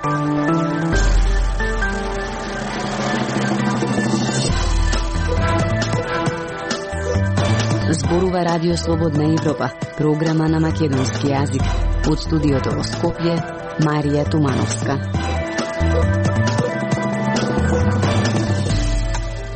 Зборува Радио Слободна Европа, програма на македонски јазик. Од студиото во Скопје, Марија Тумановска.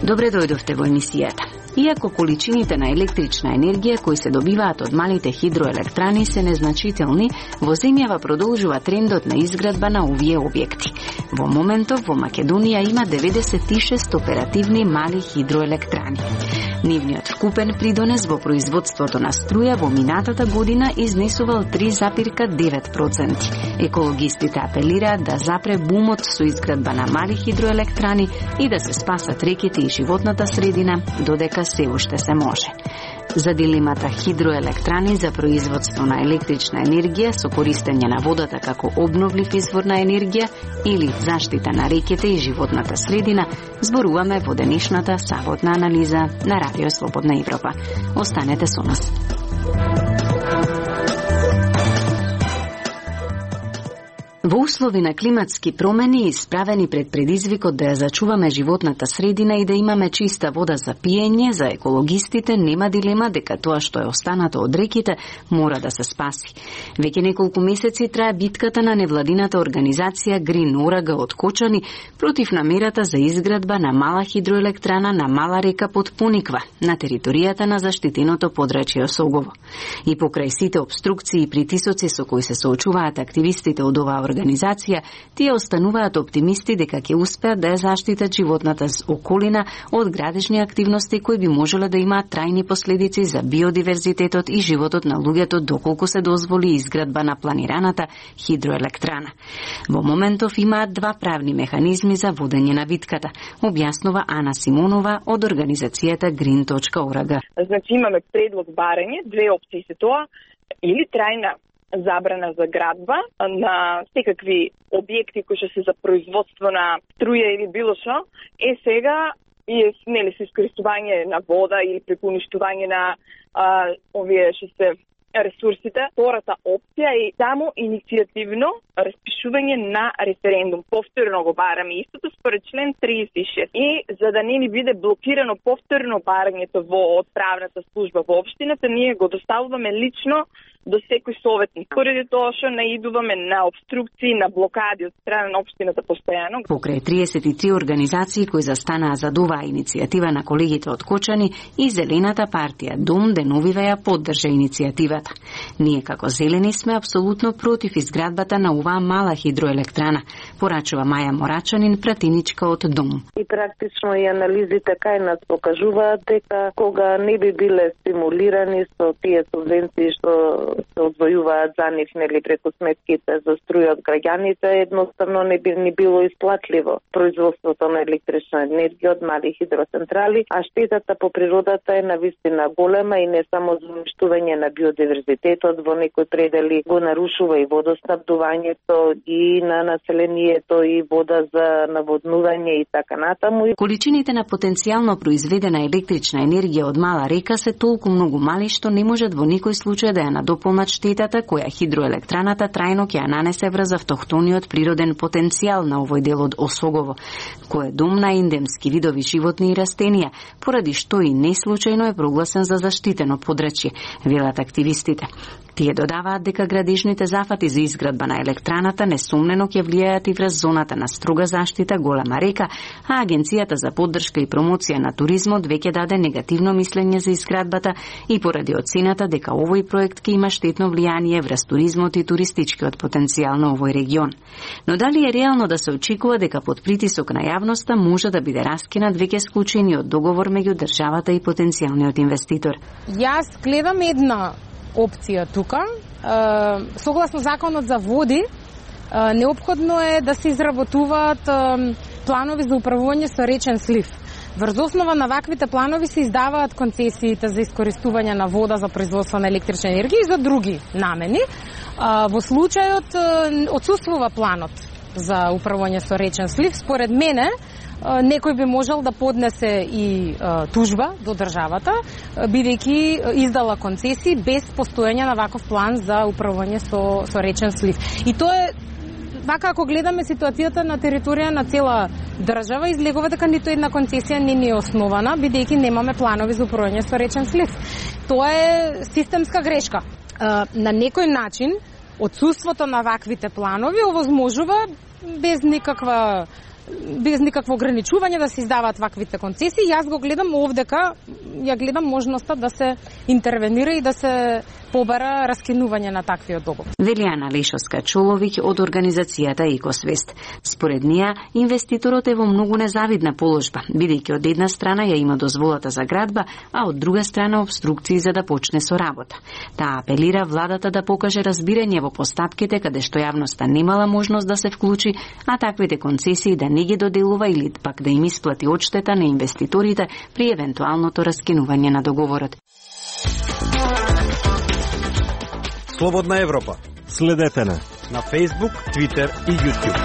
Добре дојдовте во емисијата. Иако количините на електрична енергија кои се добиваат од малите хидроелектрани се незначителни, во земјава продолжува трендот на изградба на овие објекти. Во моментов во Македонија има 96 оперативни мали хидроелектрани. Нивниот вкупен придонес во производството на струја во минатата година изнесувал 3,9%. Екологистите апелираат да запре бумот со изградба на мали хидроелектрани и да се спасат реките и животната средина, додека се уште се може. За дилемата хидроелектрани за производство на електрична енергија со користење на водата како обновлив извор на енергија или заштита на реките и животната средина, зборуваме во денешната саботна анализа на Радио Слободна Европа. Останете со нас. Во услови на климатски промени, исправени пред предизвикот да ја зачуваме животната средина и да имаме чиста вода за пиење, за екологистите нема дилема дека тоа што е останато од реките мора да се спаси. Веќе неколку месеци трае битката на невладината организација Green Oraga од Кочани против намерата за изградба на мала хидроелектрана на мала река под Пониква, на територијата на заштитеното подрачје Осогово. И покрај сите обструкции и притисоци со кои се соочуваат активистите од оваа организација, тие остануваат оптимисти дека ќе успеат да ја заштитат животната околина од градежни активности кои би можеле да имаат трајни последици за биодиверзитетот и животот на луѓето доколку се дозволи изградба на планираната хидроелектрана. Во моментов имаат два правни механизми за водење на битката, објаснува Ана Симонова од организацијата Green.org. Значи имаме предлог барање, две опции се тоа, или трајна забрана за градба на секакви објекти кои што се за производство на струја или било што, сега и нели се искористување на вода или преку уништување на овие што се ресурсите. Втората опција е само иницијативно распишување на референдум. Повторно го бараме истото според член 36. И за да не ни биде блокирано повторно барањето во отправната служба во општината, ние го доставуваме лично до секој советник. Поради тоа што наидуваме на обструкции, на блокади од страна на општината постојано. Покрај 33 организации кои застанаа за оваа иницијатива на колегите од Кочани, и Зелената партија Дом деновиве ја поддржа иницијативата. Ние како Зелени сме апсолутно против изградбата на оваа мала хидроелектрана, порачува Маја Морачанин, пратиничка од Дом. И практично и анализите кај нас покажуваат дека кога не би биле стимулирани со тие субвенции што се одвојуваат за нив, нели преку сметките за струја од граѓаните, едноставно не би ни било исплатливо производството на електрична енергија од мали хидроцентрали, а штетата по природата е навистина голема и не само за уништување на биодиверзитетот, во некои предели го нарушува и водоснабдувањето и на населението и вода за наводнување и така натаму. Количините на потенцијално произведена електрична енергија од мала река се толку многу мали што не можат во никој случај да ја надополнат штетата која хидроелектраната трајно ќе ја нанесе врз автохтониот природен потенцијал на овој дел од Осогово, кој е дом на ендемски видови животни и растенија, поради што и неслучајно е прогласен за заштитено подрачје, велат активистите. Тие додаваат дека градежните зафати за изградба на електраната несумнено ќе влијаат и врз зоната на строга заштита Голема река, а Агенцијата за поддршка и промоција на туризмот веќе даде негативно мислење за изградбата и поради оцената дека овој проект ќе има штетно влијание врз туризмот и туристичкиот потенцијал на овој регион. Но дали е реално да се очекува дека под притисок на јавноста може да биде раскинат веќе склучениот договор меѓу државата и потенцијалниот инвеститор? Јас гледам една опција тука. Согласно законот за води, неопходно е да се изработуваат планови за управување со речен слив. Врз основа на ваквите планови се издаваат концесиите за искористување на вода за производство на електрична енергија и за други намени. Во случајот отсуствува планот за управување со речен слив, според мене некој би можел да поднесе и тужба до државата, бидејќи издала концесии без постоење на ваков план за управување со речен слив. И тоа е вака ако гледаме ситуацијата на територија на цела држава, излегува дека ниту една концесија не е основана, бидејќи немаме планови за управување со речен слив. Тоа е системска грешка. На некој начин, отсуството на ваквите планови овозможува без никакво ограничување да се издаваат ваквите концесии. Јас го гледам овдека, ја гледам можноста да се интервенира и да се побара раскинување на таквиот договор. Вели Ана Лешовска-Чоловиќ од организацијата Екосвест. Според неа, инвеститорот е во многу незавидна положба, бидејќи од една страна ја има дозволата за градба, а од друга страна обструкции за да почне со работа. Таа апелира владата да покаже разбирање во постапките каде што јавноста немала можност да се вклучи, а таквите концесии да не ги доделува или пак да им исплати одштета на инвеститорите при евентуалното раскинување на договорот. Слободна Европа. Следете на Facebook, Twitter и YouTube.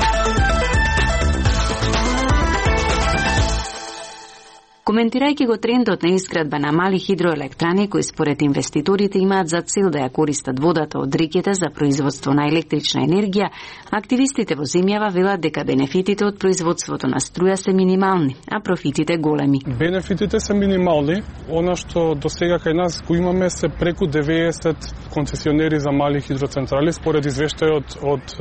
Коментирајќи го трендот на изградба на мали хидроелектрани кои според инвеститорите имаат за цел да ја користат водата од реките за производство на електрична енергија, активистите во земјава велат дека бенефитите од производството на струја се минимални, а профитите големи. Бенефитите се минимални. Она што до сега кај нас го имаме се преку 90 концесионери за мали хидроцентрали според извештајот од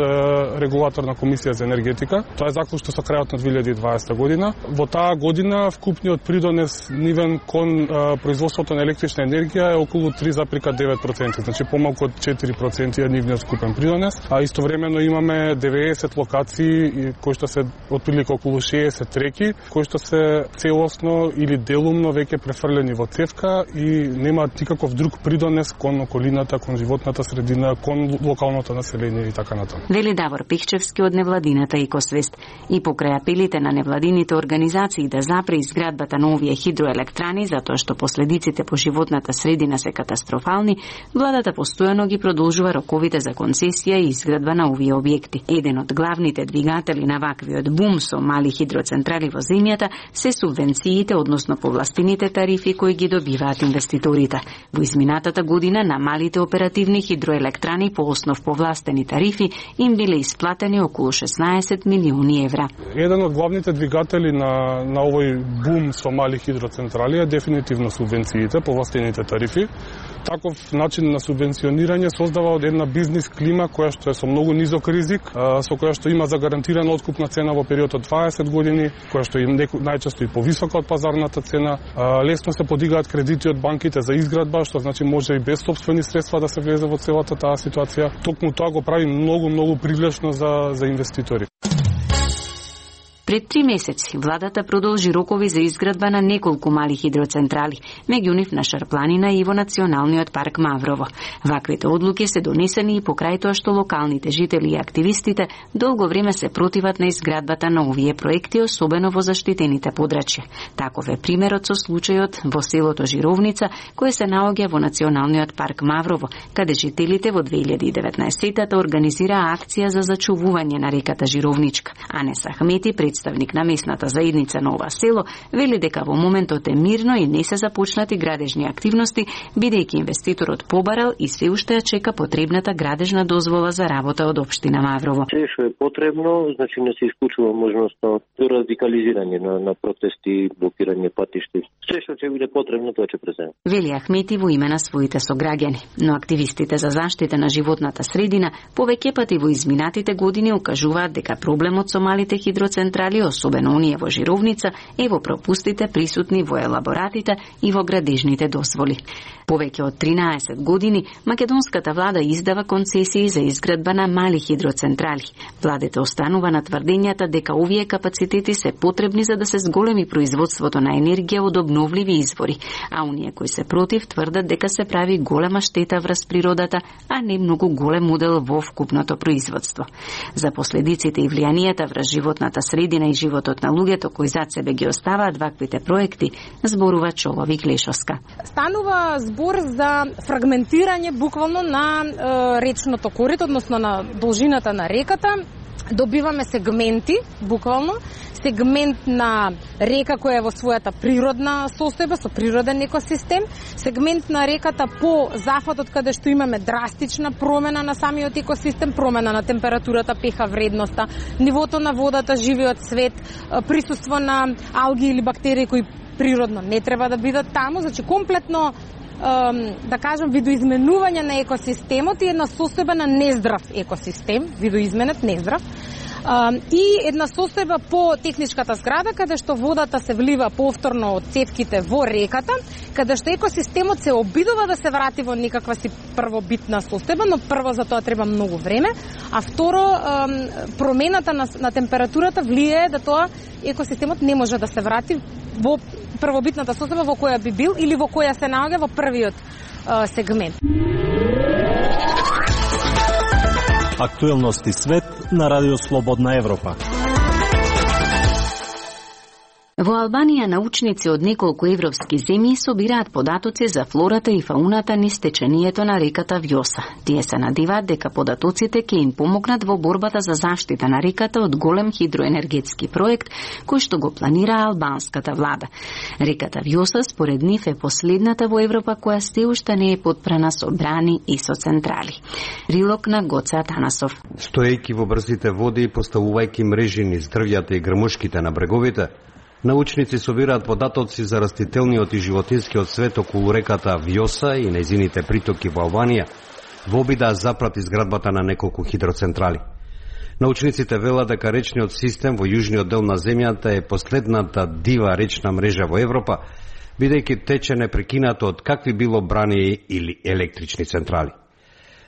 регулаторна комисија за енергетика. Тоа е заклучно со крајот на 2020 година. Во таа година вкупниот придонес нивен кон производството на електрична енергија е околу 3,9%, значи помалку од 4% е нивниот вкупен придонес, а истовремено имаме 90 локации кои што се отприлика околу 60 реки, кои што се целосно или делумно веќе префрлени во цевка и немаат никаков друг придонес кон околината, кон животната средина, кон локалното население и така натаму. Вели Давор Пихчевски од невладината Екосвест. И покрај апелите на невладините организации да запре изградбата на овие хидроелектрани затоа што последиците по животната средина се катастрофални, владата постојано ги продолжува роковите за концесија и изградба на овие објекти. Еден од главните двигатели на ваквиот бум со мали хидроцентрали во земјата се субвенциите, односно повластените тарифи кои ги добиваат инвеститорите. Во изминатата година на малите оперативни хидроелектрани по основ повластени тарифи им биле исплатени околу 16 милиони евра. Еден од главните двигатели на овој бум со мали хидроцентрали е дефинитивно субвенциите, повластените тарифи. Таков начин на субвенционирање создава од една бизнис клима која што е со многу низок ризик, со која што има загарантирана откупна цена во период од 20 години, која што им најчесто и повисока од пазарната цена. Лесно се подигаат кредити од банките за изградба, што значи може и без сопствени средства да се влезе во целата таа ситуација. Токму тоа го прави многу привлечно за инвеститори. Пред 3 месеци владата продолжи рокови за изградба на неколку мали хидроцентрали, меѓу нив на Шарпланина и во Националниот парк Маврово. Ваквите одлуки се донесени и покрај тоа што локалните жители и активистите долго време се противат на изградбата на овие проекти, особено во заштитените подрачја. Таков е примерот со случајот во селото Жировница, кој се наоѓа во Националниот парк Маврово, каде жителите во 2019-та организираа акција за зачувување на реката Жировничка. Анес Ахмети, представник на местната заедница на ова село, вели дека во моментот е мирно и не се започнати градежни активности, бидејќи инвеститорот побарал и се уште ја чека потребната градежна дозвола за работа од општина Маврово. Се што е потребно, значи не се исклучува можноста за радикализирање на протести, блокирање патишти. Се што ќе биде потребно, тоа ќе преземе. Вели Ахмети во име на своите сограѓани, но активистите за заштита на животната средина повеќе пати во изминатите години укажуваат дека проблемот со малите хидроцентрали, особено оние во Жировница, е во пропустите присутни во елаборатите и во градежните дозволи. Повеќе од 13 години македонската влада издава концесии за изградба на мали хидроцентрали. Владата останува на тврдењата дека овие капацитети се потребни за да се зголеми производството на енергија од обновливи извори, а оние кои се против тврдат дека се прави голема штета врз природата, а не многу голем удел во вкупното производство. За последиците и влијанието врз животната средина и животот на луѓето кои зад себе ги оставаат ваквите проекти, зборува Чоловик Лешовска. Станува збор за фрагментирање буквално на речното корито, односно на должината на реката. Добиваме сегменти, буквално, сегмент на река која е во својата природна состојба, со природен екосистем, сегмент на реката по зафатот каде што имаме драстична промена на самиот екосистем, промена на температурата, pH вредноста, нивото на водата, живиот свет, присуство на алги или бактерии кои природно не треба да бидат таму, значи комплетно да кажам видоизменување на екосистемот и една состојба на нездрав екосистем, видоизменет нездрав. И една состојба по техничката зграда, каде што водата се влива повторно од цевките во реката, каде што екосистемот се обидува да се врати во некаква си првобитна состојба, но прво за тоа треба многу време, а второ промената на температурата влијае да тоа екосистемот не може да се врати во првобитната состојба во која би бил или во која се наоѓа во првиот сегмент. Актуелности свет на Радио Слободна Европа. Во Албанија научници од неколку европски земји собираат податоци за флората и фауната низ течението на реката Вјоса. Тие се надеваат дека податоците ќе им помогнат во борбата за заштита на реката од голем хидроенергетски проект кој што го планира албанската влада. Реката Вјоса според нив е последната во Европа која сте уште не е потпрана со брани и со централи. Рилок на Гоце Атанасов. Стоејќи во брзите води и поставувајќи мрежи низ дрвјата и грмушките на бреговите, научници собираат податоци за растителниот и животинскиот свет околу реката Вјоса и нејзините притоки во Албанија, во обид да запрати изградбата на неколку хидроцентрали. Научниците велат дека речниот систем во јужниот дел на земјата е последната дива речна мрежа во Европа, бидејќи тече непрекинато од какви било брани или електрични централи.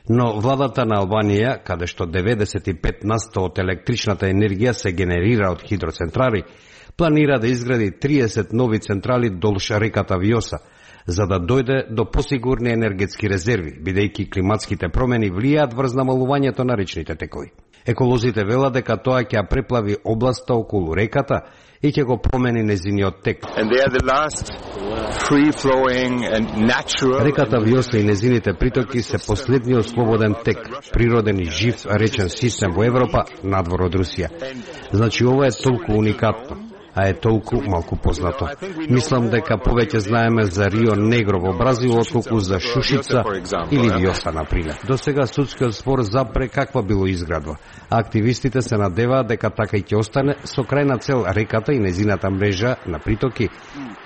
Но владата на Албанија, каде што 95% од електричната енергија се генерира од хидроцентрали, планира да изгради 30 нови централи долж реката Вјоса, за да дојде до посигурни енергетски резерви, бидејќи климатските промени влијаат врз намалувањето на речните текови. Еколозите велат дека тоа ќе преплави областа околу реката и ќе го промени нејзиниот тек. Реката Вјоса и нејзините притоки се последниот слободен тек, природен и жив речен систем во Европа надвор од Русија. Значи ова е толку уникатно, а е толку малку познато. Мислам дека повеќе знаеме за Рио Негро во Бразил отколку за Шушица или Вјоса, например. До сега судскиот спор запре каква било изградба, а активистите се надеваат дека така и ќе остане со крајна цел реката и нејзината мрежа на притоки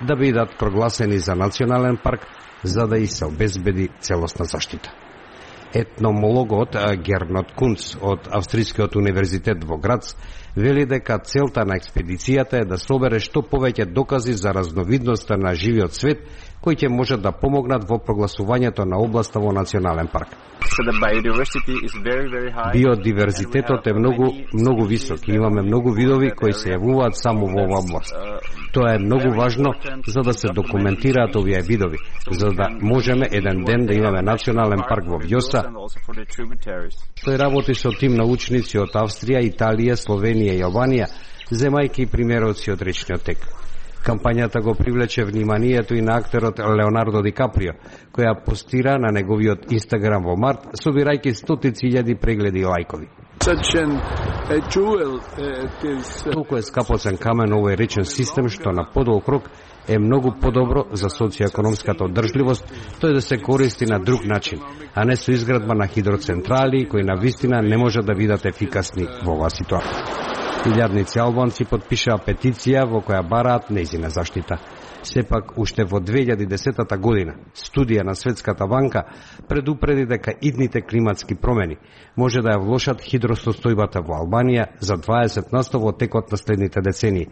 да бидат прогласени за национален парк, за да и се обезбеди целосна заштита. Етномологот Гернот Кунц од Австрискиот универзитет во Грац вели дека целта на експедицијата е да собере што повеќе докази за разновидноста на живиот свет кои ќе можат да помогнат во прогласувањето на областа во национален парк. Биодиверзитетот е многу висок и имаме многу видови кои се јавуваат само во оваа област. Тоа е многу важно за да се документираат овие видови, за да можеме еден ден да имаме национален парк во Вјоса. Тој работи со тим научници од Австрија, Италија, Словенија и Албанија, земајќи примероци од речниот тек. Кампањата го привлече вниманието и на актерот Леонардо Ди Каприо, која постира на неговиот Инстаграм во март, собирајќи стотици илјади прегледи и лајкови. Толку е скапоцен камен овој речен систем што на подолг рок е многу подобро за социјакономската одржливост тој да се користи на друг начин, а не со изградба на хидроцентрали кои на вистина не може да бидат ефикасни во оваа ситуација. Илјадници албанци подпишаа петиција во која бараат нејзина заштита. Сепак, уште во 2010 година, студија на Светската банка предупреди дека идните климатски промени може да ја влошат хидросостојбата во Албанија за 20% во текот на следните децении,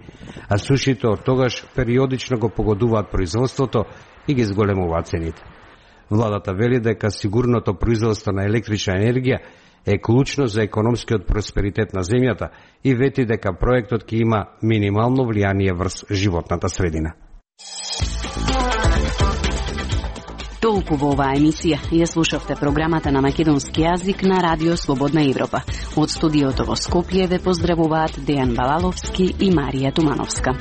а сушите од тогаш периодично го погодуваат производството и ги зголемуваат цените. Владата вели дека сигурното производство на електрична енергија е клучно за економскиот просперитет на земјата и вети дека проектот ќе има минимално влијание врз животната средина. Толку во оваа емисија. Ја слушавте програмата на македонски јазик на Радио Слободна Европа. Од студиото во Скопје ве поздравуваат Дејан Балаловски и Марија Тумановска.